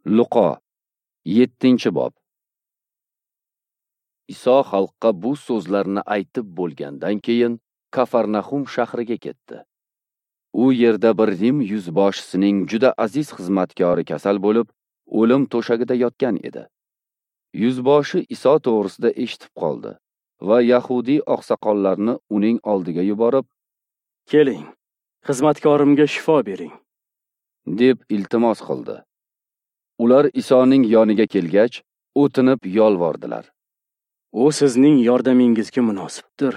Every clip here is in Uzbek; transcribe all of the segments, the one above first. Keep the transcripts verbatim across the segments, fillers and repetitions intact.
Luqo yettinchi bob. Iso xalqqa bu so'zlarni aytib bo'lgandan keyin Kafarnahum shahriga ketdi. U yerda bir Rim yuzboshisining juda aziz xizmatkori kasal bo'lib, o'lim to'shagida yotgan edi. Yuzboshi Iso to'g'risida eshitib qoldi va yahudiy oqsoqollarni uning oldiga yuborib, "Keling, xizmatkorimga shifo bering", deb iltimos qildi. Ular Isoning yoniga kelgach, o'tinib yolvordilar. "U sizning yordamingizga munosibdir.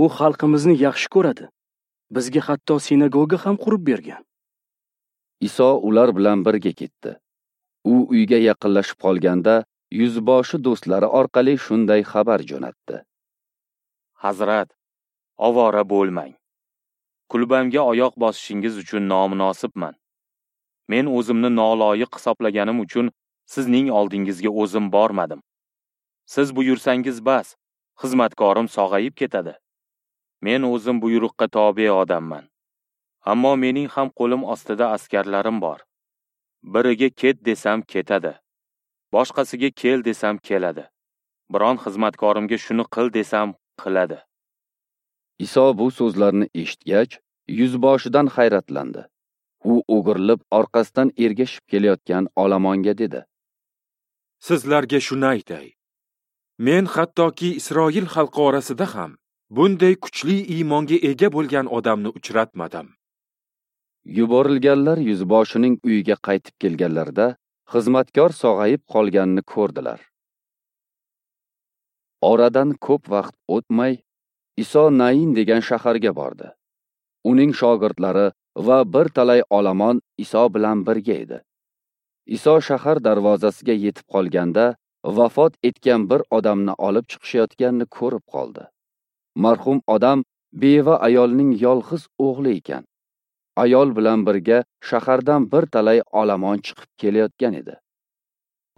U xalqimizni yaxshi ko'radi. Bizga hatto sinagoga ham qurib bergan." Iso ular bilan birga ketdi. U uyga yaqinlashib qolganda, yuzboshi do'stlari orqali shunday xabar jo'natdi: "Hazrat, ovora bo'lmang. Kulbamga oyoq bosishingiz uchun nomunosibman. Men o'zimni noloyiq hisoblaganim uchun sizning oldingizga o'zim bormadim. Siz buyursangiz bas, xizmatkorim sog'ayib ketadi. Men o'zim buyruqqa tobe odamman. Ammo mening ham qo'lim ostida askarlarim bor. Biriga ket desam ketadi, boshqasiga kel desam keladi. Biron xizmatkorimga shuni qil desam qiladi." Iso bu so'zlarni eshitgach, yuzboshidan hayratlandi. U o'girilib orqasidan ergashib kelayotgan olomonga dedi: "Sizlarga shuni aytay. Men hattoki Isroil xalqi orasida ham bunday kuchli iymonga ega bo'lgan odamni uchratmadim." Yuborilganlar yuzboshining uyiga qaytib kelganlarida xizmatkor sog'ayib qolganini ko'rdilar. Oradan ko'p vaqt o'tmay, Iso Nain degan shaharga bordi. Uning shogirdlari va bir talay olomon Iso bilan birga edi. Iso shahar darvozasiga yetib qolganda, vafot etgan bir odamni olib chiqishayotganini ko'rib qoldi. Marhum odam beva ayolning yolg'iz o'g'li ekan. Ayol bilan birga shahardan bir talay olomon chiqib kelayotgan edi.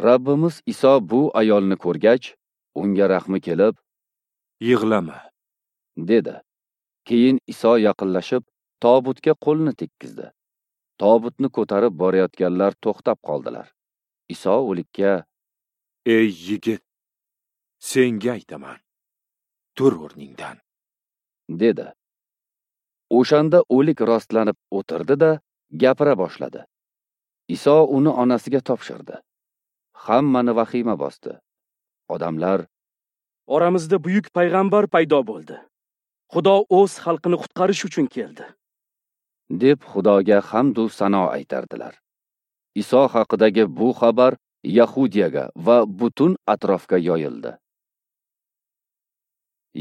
Rabbimiz Iso bu ayolni ko'rgach, unga rahmi kelib, "Yig'lama", dedi. Keyin Iso yaqinlashib, tobutga qo'lini tekkizdi. Tobutni ko'tarib borayotganlar to'xtab qoldilar. Iso o'likka: "Ey yigit, senga aytaman, tur o'rningdan", dedi. O'shanda o'lik rostlanib o'tirdi-da, gapira boshladi. Iso uni onasiga topshirdi. Hammani vahima bosdi. Odamlar: "Oramizda buyuk payg'ambar paydo bo'ldi. Xudo o'z xalqini qutqarish uchun keldi", deb Xudoga hamd u sano aytardilar. Iso haqidagi bu xabar Yahudiyaga va butun atrofga yoyildi.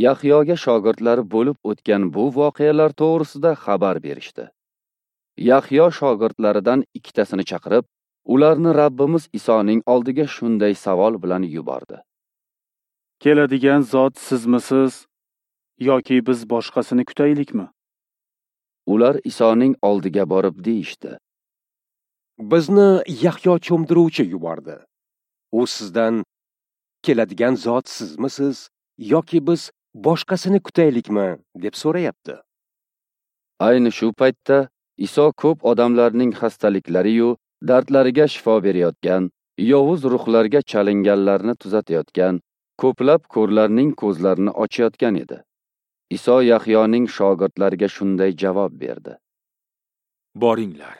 Yahyoga shogirdlari bo'lib o'tgan bu voqealar to'g'risida xabar berishdi. Yahyo shogirdlaridan ikkitasini chaqirib, ularni Rabbimiz Isoning oldiga shunday savol bilan yubordi: "Keladigan zot sizmisiz yoki biz boshqasini kutaylikmi?" Ular Isoning oldiga borib deyishdi: "Bizni Yahyo cho'mdiruvchi yubordi. U sizdan keladigan zot sizmisiz yoki biz boshqasini kutaylikmi deb so'rayapti." Ayni shu paytda Iso ko'p odamlarning xastaliklari-yu dardlariga shifo berayotgan, yovuz ruhlarga chalinganlarni tuzatayotgan, ko'plab ko'rlarning ko'zlarini ochayotgan edi. Iso Yahyoning shogirdlariga shunday javob berdi: "Boringlar,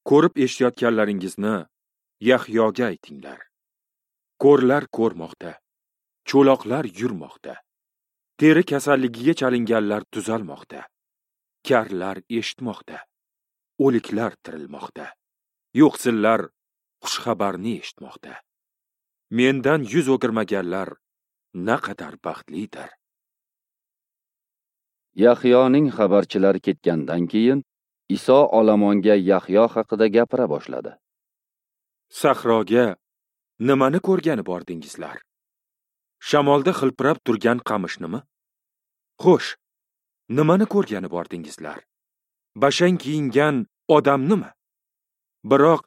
ko'rib eshitayotganlaringizni Yahyoga aytinglar. Ko'rlar ko'rmoqda, cho'loqlar yurmoqda, teri kasalligiga chalinganlar tuzalmoqda, karlar eshitmoqda, o'liklar tirilmoqda, yo'qsillar xushxabarni eshitmoqda. Mendan yuz o'girmaganlar naqadar baxtlidir." Yahyoning xabarchilari ketgandan keyin Iso olomonga Yahyo haqida gapira boshladi. "Sahroga nimani ko'rgani bordingizlar? Shamolda xilpirab turgan qamishnimi? Xo'sh, nimani ko'rgani bordingizlar? Bashang kiyingan odamnimi? Biroq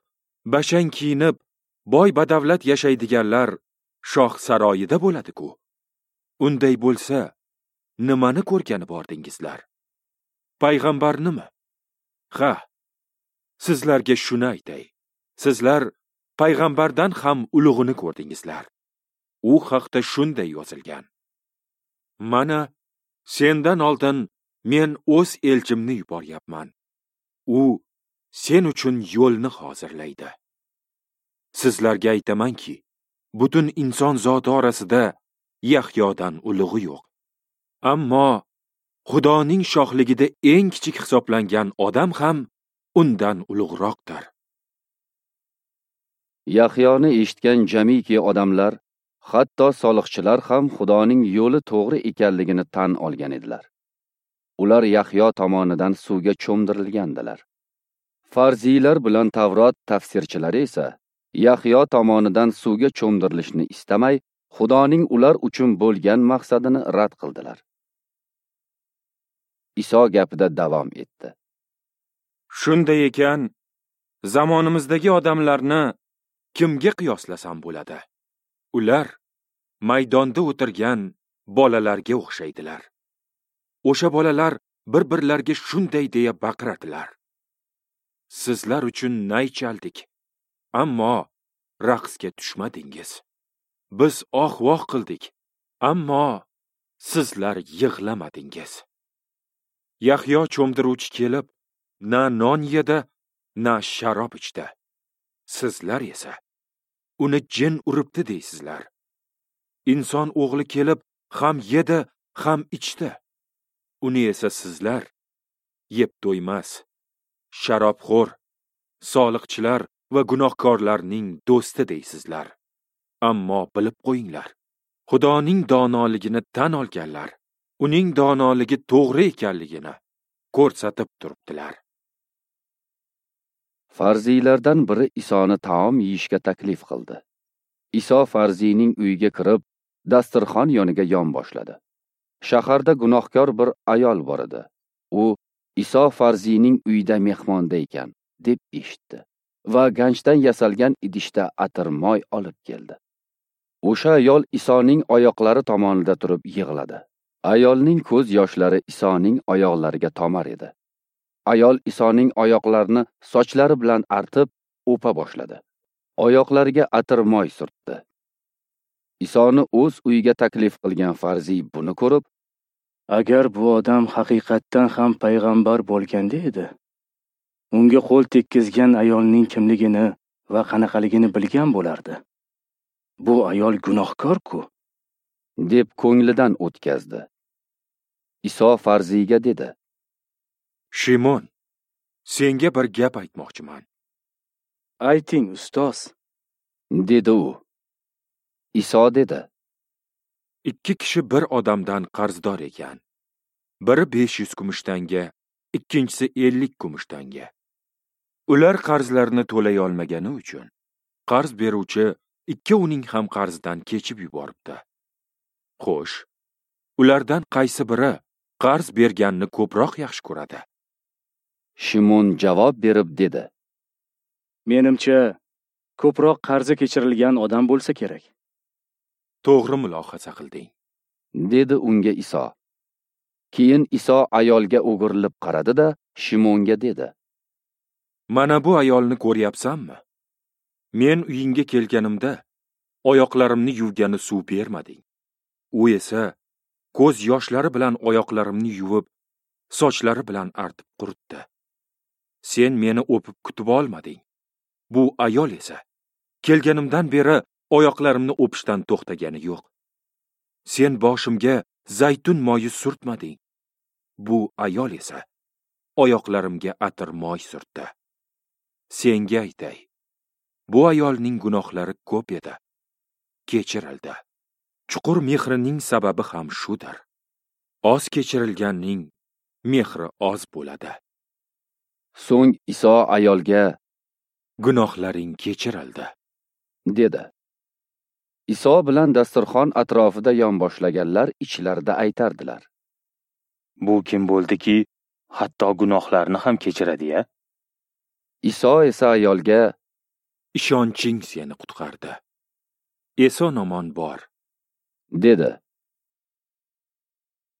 bashang kiyinib, boy badavlat yashaydiganlar shoh saroyida bo'ladi-ku. Unday bo'lsa, nimani ko'rgani bordingizlar? Payg'ambarnimi? Ha, sizlarga shuni aytay. Sizlar payg'ambardan ham ulug'ini ko'rdingizlar. U haqda shunday yozilgan: Mana sendan oldin men o'z elchimni yuboryapman. U sen uchun yo'lni hozirlaydi. Sizlarga aytamanki, butun inson zoti orasida Yahyodan ulug'i yo'q. Ammo Xudoning shohligida eng kichik hisoblangan odam ham undan ulug'roqdir. Yahyoni eshitgan jamiki odamlar, hatto soliqchilar ham Xudoning yo'li to'g'ri ekanligini tan olgan edilar. Ular Yahyo tomonidan suvga cho'mdirilgandilar. Farziylar bilan Tavrot tafsirchilari esa Yahyo tomonidan suvga cho'mdirilishni istamay, Xudoning ular uchun bo'lgan maqsadini rad qildilar. Iso gapida davom etdi. Shunday ekan, zamonimizdagi odamlarni kimga qiyoslasam bo'ladi? Ular maydonda o'tirgan bolalarga o'xshaydilar. O'sha bolalar bir-birlariga shunday deya baqiradilar: Sizlar uchun nay chaldik, ammo raqsga tushmadingiz. Biz oh-voh qildik, ammo sizlar yig'lamadingiz. Yahyo cho'mdiruvchi kelib, na non yedi, na sharob ichdi. Sizlar esa uni jin uribdi deysizlar. Inson o'g'li kelib, ham yedi, ham ichdi. Uni esa sizlar yeb to'ymas, sharobxo'r, soliqchilar va gunohkorlarning do'sti deysizlar. Ammo bilib qo'yinglar, Xudoning donoligini tan olganlar uning donoligi to'g'ri ekanligini ko'rsatib turibdilar. Farziylardan biri Isoni taom yeyishga taklif qildi. Iso farziyning uyiga kirib, dasturxon yoniga yon boshladi. Shaharda gunohkor bir ayol bor edi. U Iso farziyning uyida mehmonda ekan deb eshitdi va ganchdan yasalgan idishda atir moy olib keldi. O'sha ayol Isoning oyoqlari tomonida turib yig'ladi. Ayolning ko'z yoshlari Isoning oyoqlariga tomar edi. Ayol Isoning oyoqlarini sochlari bilan artib, o'pa boshladi. Oyoqlariga atir moy surtdi. Isoni o'z uyiga taklif qilgan farziy buni ko'rib, agar bu odam haqiqatdan ham payg'ambar bo'lganda edi, unga qo'l tekkizgan ayolning kimligini va qanaqaligini bilgan bo'lardi. Bu ayol gunohkor-ku, deb ko'nglidan o'tkazdi. Iso farziyga dedi: Shimon, senga bir gap aytmoqchiman. Ayting, ustoz, dedi u. Iso dedi: Ikki kishi bir odamdan qarzdor ekan. Biri besh yuz kumush tanga, ikkinchisi ellik kumush tanga. Ular qarzlarini to'lay olmagani uchun qarz beruvchi ikkovining ham qarzidan kechib yuboribdi. Xo'sh, ulardan qaysi biri qarz berganni ko'proq yaxshi ko'radi? Shimon javob berib dedi: Menimcha, ko'proq qarzi kechirilgan odam bo'lsa kerak. To'g'ri mulohaza qilding, dedi unga Iso. Keyin Iso ayolga o'girilib qaradi-da, Shimonga dedi: Mana bu ayolni ko'ryapsanmi? Men uyingga kelganimda oyoqlarimni yuvgani suv bermading. U esa ko'z yoshlari bilan oyoqlarimni yuvib, sochlari bilan artib quritdi. Sen meni o'pib kutib olmading. Bu ayol esa kelganimdan beri oyoqlarimni o'pishdan to'xtagani yo'q. Sen boshimga zaytun moyi surtmading. Bu ayol esa oyoqlarimga atir moy surtdi. Senga aytay, bu ayolning gunohlari ko'p edi, kechirildi. Chuqur mehrining sababi ham shudir. Oz kechirilganning mehri oz bo'ladi. So'ng Iso ayolga: Gunohlaring kechirildi, dedi. Iso bilan dasturxon atrofida yon boshlaganlar ichlarida aytardilar: Bu kim bo'ldiki, hatto gunohlarni ham kechiradi-ya? Iso esa ayolga: Ishonching seni qutqardi. Eson omon bor, dedi.